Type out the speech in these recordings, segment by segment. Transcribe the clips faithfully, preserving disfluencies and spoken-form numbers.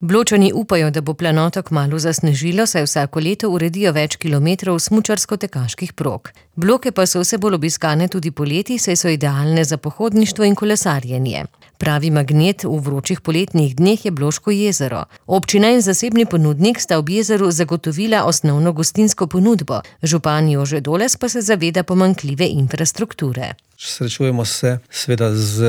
Bločani upajo, da bo planota kmalu zasnežilo, saj vsako leto uredijo več kilometrov smučarsko-tekaških prog. Bloke pa so vse bolj obiskane tudi poleti, saj so idealne za pohodništvo in kolesarjenje. Pravi magnet v vročih poletnih dneh je Bloško jezero. Občina in zasebni ponudnik sta ob jezeru zagotovila osnovno gostinsko ponudbo. Župan Jože Doles pa se zaveda pomanjkljive infrastrukture. Srečujemo se seveda z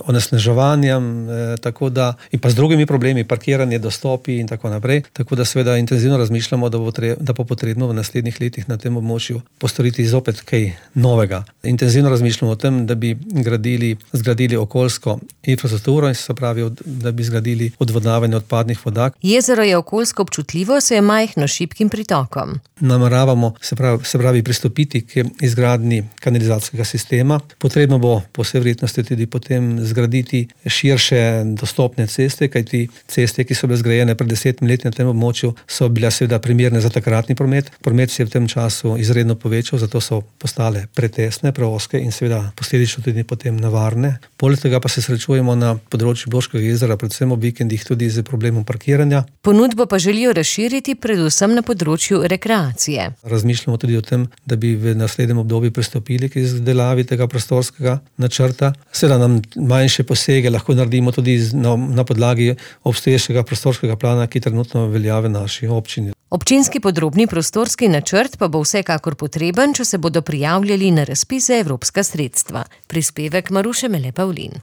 onesnaževanjem, tako da in pa z drugimi problemi, parkiranje, dostopi in tako naprej. Tako da seveda intenzivno razmišljamo, da bo, tre, da bo potrebno v naslednjih letih na tem območju postoriti zopet kaj novega. Intenzivno razmišljamo o tem, da bi gradili, zgradili okoljsko infrastrukturo in se pravi, da bi zgradili odvodnavanje odpadnih voda. Jezero je okoljsko občutljivo, se je majhno s šibkim pritokom. Nameravamo se pravi, se pravi pristopiti k izgradnji kanalizacijskega sistema. Potrebno bo po vsej verjetnosti tudi potem zgraditi širše dostopne ceste, kajti ceste, ki so bile zgrajene pred desetimi leti na tem območju, so bile seveda primerne za takratni promet. Promet se je v tem času izredno povečal, zato so postale pretesne, preozke in seveda posledično tudi potem nevarne. Poleg tega pa se srečujemo na področju Bloškega jezera, predvsem ob vikendih tudi z problemom parkiranja. Ponudbo pa želijo razširiti predvsem na področju rekreacije. Razmišljamo tudi o tem, da bi v naslednjem obdobju pristopili k izdelavi tega prostorskega načrta. Seveda nam manjše posege lahko naredimo tudi na, na podlagi obstoječega prostorskega plana, ki trenutno velja v naši občini. Občinski podrobni prostorski načrt pa bo vsekakor potreben, če se bodo prijavljali na razpis za evropska sredstva. Prispevek Maruše Mele Pavlin.